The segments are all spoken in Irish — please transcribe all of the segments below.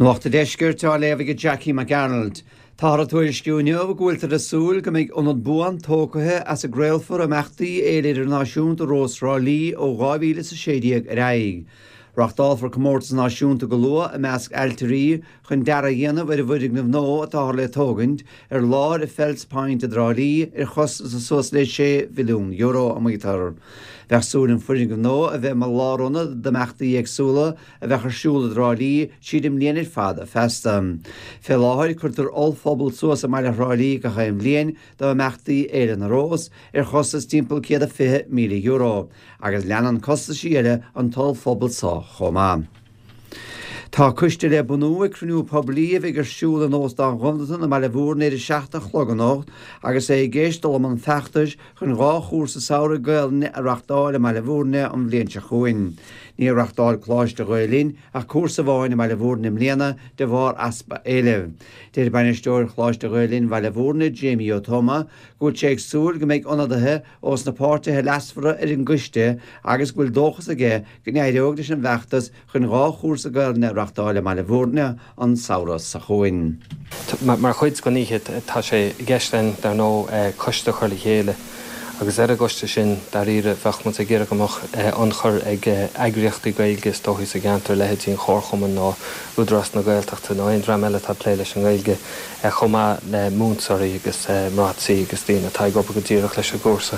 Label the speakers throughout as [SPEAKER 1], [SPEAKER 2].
[SPEAKER 1] Nuacht an Deiscirt á léamh ag Jackie Mac Gearailt. Táthar ag tuairisciú inniu go bhfuiltear ag súil go mbeidh ionad buan tógtha as a gcraolfar imeachtaí Fhéile Idirnáisiúnta Rós Thrá Lí ó 2016 ar aghaidh. Reachtálfar comórtas náisiúnta go luath i measc ailtirí chun dearadh a dhéanamh ar an bhfoirgneamh nua atáthar le tógaint ar láthair Fells Point i dTrá Lí ar chostas de suas le €6 mhilliún, a maítear. Bheadh súil an foirgneamh nua a bheith mar lárionad d'imeachtaí éagsúla a bheadh ar siúl i dTrá Lí tríd an mbliain ar fad feasta. Fé láthair, cuirtear ollphuball suas i mbaile Thrá Lí gach aon bhliain d'imeachtaí Fhéile na Rós, ar chostas timpeall €120,000, agus leanann costaisí eile an t-ollphuball so chomh maith. Tá coiste le bunú ag cruinniú poiblí a bheidh ar siúl in Óstán Ghobnatan i mBaile Bhúirne ar a 7 a chlog anocht agus é i gceist dul i mbun feachtais chun 2 chúrsa samhraidh Gaelainne a reachtáil i mBaile Bhúirne an bhliain seo chugainn. Níor reachtáil Coláiste Ghael Linn ach cúrsa amháin i mBaile Bhúirne i mbliana de bharr easpa éilimh. Deir Bainisteoir Choláiste Ghael Linn Bhaile Bhúirne, Jamie Ó Tuama, go bhfuil sé ag súil go mbeidh ionadaithe ós na páirtithe leasmhara ar an gcoiste agus go bhfuil dóchas aige go n-éireoidh leis an bhfeachtas chun 2 chúrsa Gaelainne a reachtáil i mBaile Bhúirne an samhradh seo chugainn.
[SPEAKER 2] Mar chuid den oíche tá sé i gceist againn, dar ndóigh, coiste a chur le chéile agus ar an gcoiste sin, dáiríre, bheadh muid ag iarraidh go mbeadh ionchur ag eagraíochtaí Gaeilge is dóichí sa gceantar, leithéidí an Chomharchumainn nó Údarás na Gaeltachta nó aon dream eile atá ag plé leis an nGaeilge, chomh maith le múinteoirí agus mná tí agus daoine atá ag obair go díreach leis an gcúrsa.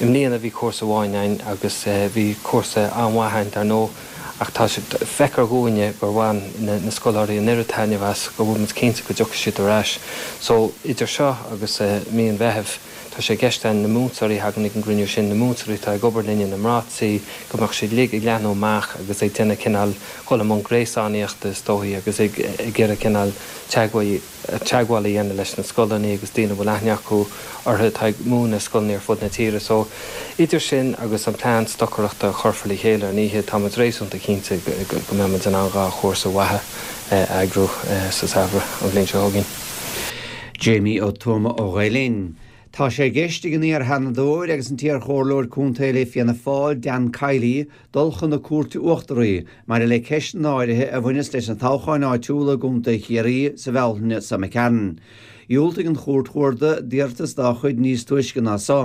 [SPEAKER 2] I mbliana bhí cúrsa amháin againn agus bhí cúrsa an-mhaith againn dar ndóigh ach tá sé, feictear dhúinne gur bhain na scoláirí an oiread taitneamh as go bhfuil muid cinnte go dtiocfaidh siad ar ais. So idir seo agus mí an Mheithimh tá sé i gceist againn na múinteoirí a thagann ag an gcruinniú sin, na múinteoirí atá ag obair linne, na mná tí, go mbeadh siad uilig ag leathnú amach agus ag déanamh cineál dhul i mbun gréasánaíochta is dóichí agus ag iarraidh cineál teagmháil teagmháil a dhéanamh leis na scoileanna agus daoine a bhfuil aithne acu orthu atá ag múineadh i scoileanna ar fud na tíre. So, idir sin agus an plean stocaireachta a chuirfear le chéile ar an oíche, tá muid réasúnta cinnte go mbeidh muid in ann 2 chúrsa mhaithe a eagrú sa samhradh an bhliain seo chugainn.
[SPEAKER 1] Jamie Ó Tuama ó Ghael Linn. Tá sé i gceist ag an iar-Sheanadóir agus an t-iar-chomhairleoir contae le Fianna Fáil, Dan Kiely, dul chun na Cúirte Uachtaraí maidir le ceisteanna áirithe a bhaineas leis na toghcháin áitiúla i gContae Chiarraí sa Bhealtaine seo imigh tharainn. Dhiúltaigh an Chúirt Chuarda d'iarratas dá chuid níos túisce ná so,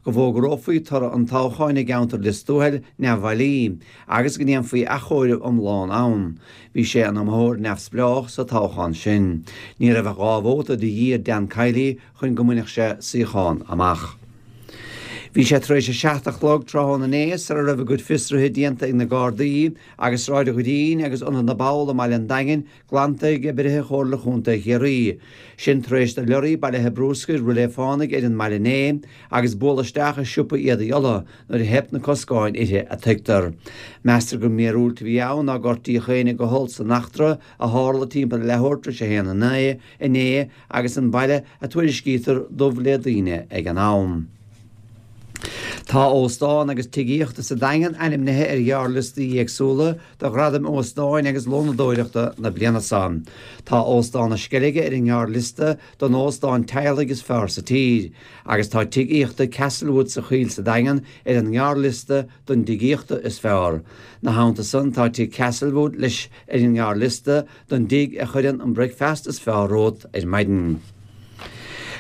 [SPEAKER 1] go bhfógrófaí toradh an toghcháin i gceantar Lios Tuathail neamhbhailí agus go ndéanfaí athchomhaireamh iomlán ann. Bhí sé ina iomaitheoir neamhspleách sa toghchán sin. Ní raibh ach 2 vóta de dhíth ar Dan Kiely chun go mbainfeadh sé suíochán amach. Bhí sé tar éis a 7 a chlog tráthnóna inné sara raibh a gcuid fiosruithe déanta ag na Gardaí agus Sráid an Ghreen agus Ionad na bPoll i mbaile an Daingin glanta ag oibrithe Chomhairle Chontae Chiarraí. Sin tar éis do leoraí bailithe brúscair rith le fánaidh ar an mbaile inné agus bualadh isteach i siopa éadaí Uladh nuair a theip na coscáin uirthi a tuigtear. Meastar gur míorúilt a bhí ann nár gortaíodh éinne go holc san eachtra a tharla timpeall a leathuair tar éis a haon inné agus an baile a tuairiscítear dubh le daoine ag an am. Tá óstán agus tigh aíochta sa Daingean ainmnithe ar ghearrliostaí éagsúla do ghradaim óstáin agus lónadóireachta na bliana seo. Tá Óstán na Sceilge ar an ngearrliosta don óstán teaghlaigh is fearr sa tír, agus tá tigh aíochta Castlewood sa Choill sa Daingean ar an ngearrliosta don dtigh aíochta is fearr. 'Na theannta san tá tigh Castlewood leis ar an ngearrliosta don dtigh a chuireann an bricfeasta is fearr romhat ar maidin.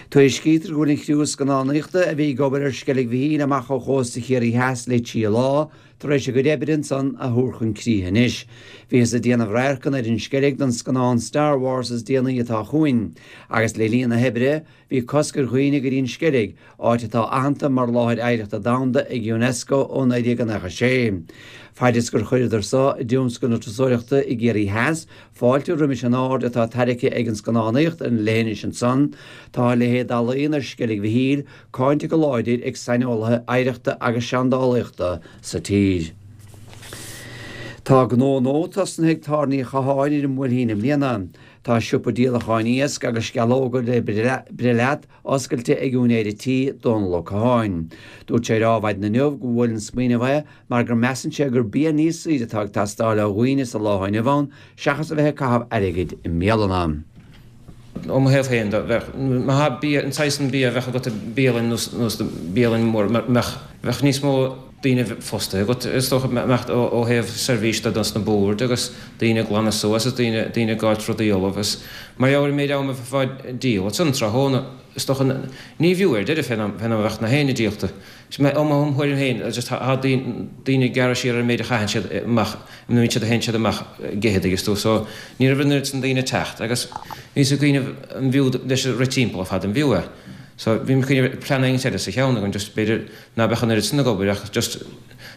[SPEAKER 1] Tuairiscítear go bhfuil an chriú scannánaíochta a bhí ag obair ar Sceilg Mhichíl amach ó chósta Chiarraí Theas le trí lá tar éis a gcuid oibre ansan a thabhairt chun críche anois. Bhíothas ag déanamh radharcanna ar an Sceilg don scannán Star Wars is déanaí atá chugainn, agus le linn na hoibre, Bhí cosc ar dhaoine go dtí an Sceilg, áit atá aitheanta mar Láthair Oidhreachta Domhanda ag Unesco ó 1996. Faid is gur chuireadar so i dtionscal na turasóireachta i gCiarraí Theas fáilte roimis an aird atá tarraicthe ag an scannánaíocht ar an leithinis ansan, tá a leithéid d'ealaíon ar Sceilg Mhichíl cáinte go láidir ag saineolaithe oidhreachta agus seandálaíochta sa tír. Tá gnó nua tosnaithe ag Tara Ní Chatháin ar an mBuailtín i mbliana. Tá siopa díolacháin iasc agus sceallóga le breith leat oscailte ag úinéir an tí, Dónal Ó Catháin. Dúirt sé ar Adhmhaidin inniu go bhfuair an smaoineamh é mar gur measann sé gur bia níos saoire atá ag teastáil ó dhaoine sa lá inniu ann seachas a bheith ag caitheamh airgid i mbialanna.
[SPEAKER 3] Ó mo thaobh féin de, bheadh, má tá bia, an saghas an bia a bheadh agat i bialann nó bialann mór, bheadh níos mó. daoine fostaithe agat is dócha mbeadh ó thaobh seirbhís de dos na boird agus daoine ag glanadh suas is daoine daoine ag fáilt rudaí ullamh is mar gheall ar an méid ama a bheifeá ag díol ansan tráthnóna is dócha ní bhfiú ar deireadh fén am fén am a bheadh na héinne díolta. Ó mo thuairim féin just tá daoine ag gearradh siar ar an méid a chaitheann siad amach an méid siad a théann siad amach ag ithe dtuigeann tú so ní raibh an oiread san daoine ag teacht agus bhíos ag cuimhneamh an bhfiú leis rith timpeall ar fad an bhfiú é. So bhí mé ag cuimhneamh plean éigint eile sa cheann agam just b'fhéidir ná beadh an oiread san ag obair ach just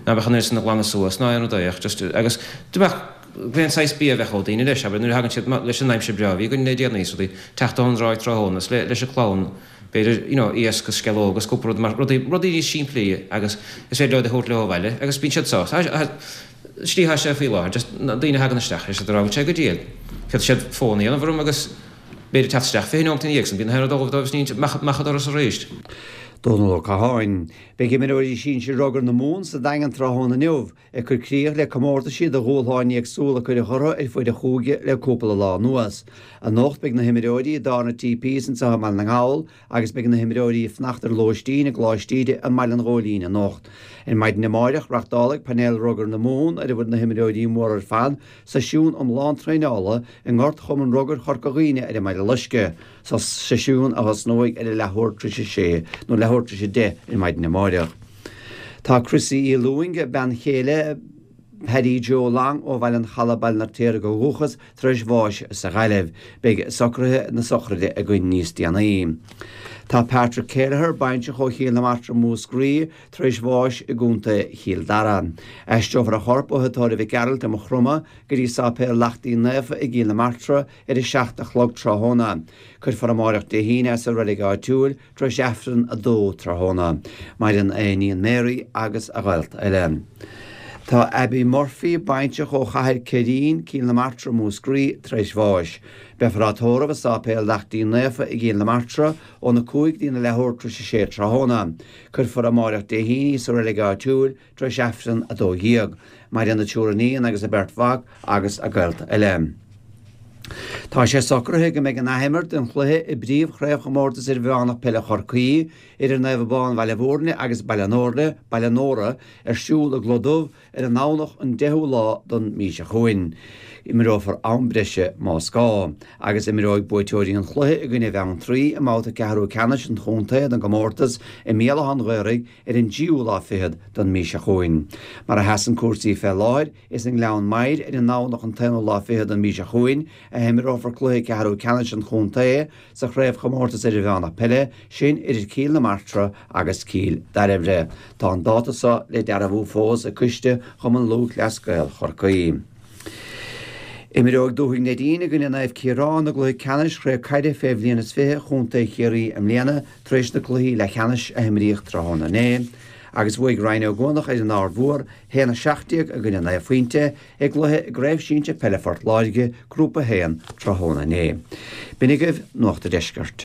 [SPEAKER 3] ná beadh an oiread san ag glanadh suas ná aon rud é ach just agus do bheadh aon saghas bia a bheadh ó daoine leis abair nuair a thagann siad leis an aimsir breá a bhí againn le déanaí is rudaí teacht ón dtráigh tráthnóna is le leis an clann b'fhéidir you know iasc agus sceallóg agus cúpla rud mar rudaí rudaí níos simplí agus is féidir leo iad a thabhairt leo abhaile agus bíonn siad sásta. Slí atá sé faoi láthair just na daoine a thagann isteach tá siad ag rá bhfuil sé go diail. Féadfaidh siad fón a dhéanamh orm agus b'fhéidir teacht isteach 20 neomat ina dhiaidh san bíonn na haon rud ullamh dóibh is ní amach an doras arís.
[SPEAKER 1] Dónal Ó Catháin. Beidh imreoirí sinsir Rugair na Mumhan sa Daingean tráthnóna inniu, ag cur críoch le comórtaisí do dhúshláin éagsúla a cuireadh orthu ar fuaid an chúige le cúpla lá anuas. Anocht beidh na himreoirí i dTarna TPs anseo i mBaile na nGall agus beidh na himreoirí ag fanacht ar lóistín i gColáiste Íde i mBaile an Ghóilín anocht. Ar maidin amáireach reachtálfaidh Painéal Rugair na Mumhan, ar a bhfuil na himreoirí móra ar fad, seisiún iomlán traenála i ngort Chumann Rugair Chorca Dhuibhne ar an mBaile Loiscthe, seisiún a thosnóidh ar a leathuair tar éis a sé nó leathuair tar éis a deich ar maidin amáireach. Tá Chrissy Uí Lúing, bean chéile Paddy Joe Long ó Bhaile an Chalaidh, Baile an Fheirtéaraigh ó dhúchas, tar éis bháis sa Ghaillimh. Beidh socruithe na sochraide againn níos déanaí. Tá Patrick Kelleher, baintreach ó Chill na Martra, Múscraí, tar éis bháis i gContae Chill Dara. Aistreofar a chorp ó Thigh Tórraimh Mhic Gearailt i Maigh Chromtha go dtí Sáipéal Lachtaín Naofa i gCill na Martra ar a 7 a chlog tráthnóna. Cuirfear amáireach Dé hAoine é sa reilig áitiúil. Tar éis Aifreann 2 tráthnóna. Maireann a iníon Mary agus a ghaolta eile. Tá Abbie Murphy, baintreach ó Chathair Ceirín, Cill na Martra, Múscraí, tar éis bháis. Beifear á tórramh i Sáipéal Lachtaín Naofa i gCill na Martra óna 5 go dtína leathuair tar éis a sé tráthnóna. Cuirfear amáireach Dé hAoine í sa reilig áitiúil tar éis Aifreann 12. Maireann a triúr iníon agus a beirt mhac agus a gaolta eile. Tá sé socraithe go mbeidh an athimirt den chluiche i bpríomh-chraobhchomórtas idirmheánach peile Chorcaí idir Naomh Abán Bhaile Bhúirne agus Baile Nóra, Baile Nóra ar siúl i gCloich Dubh ar an nDomhnach an 10ú lá don mhí seo chugainn. Imreofar am breise más gá, agus imreoidh buaiteoirí an chluiche i gcoinne Bheanntraí i mbabhta ceathrú ceannais an chontae don gcomórtas i mBéal Átha an Ghaorthaidh ar an dtríú lá fichead don mí seo chugainn. Mar a sheasann cúrsaí fé láthair, is i nGleann Maghair ar an nDomhnach an t-aonú lá fichead don mí seo chugainn a himreofar cluiche ceathrú ceannais an chontae sa Chraobhchomórtas Idirmheánach Peile, sin idir Cill na Martra agus Cill Dairbhre. Tá an dáta so le dearbhú fós ag Coiste Chumann Lúthchleas Gael Chorcaí. Imreoidh Dúthaigh Neidín i gcoinne Naomh Ciarán i gcluiche ceannais Chraobh Caide fé bhliain is 20 Chontae Chiarraí i mbliana tar éis na cluichí leathcheannais a himríodh tráthnóna inné agus bhuaigh Rinn Ó gCuanach ar an Aird Mhór 1-17 i gcoinne 9 phointe i gcluiche i gCraobh Sinsir Peile Phort Láirge, Grúpa 1, tráthnóna inné. B'in agaibh Nuacht a' Deiscirt.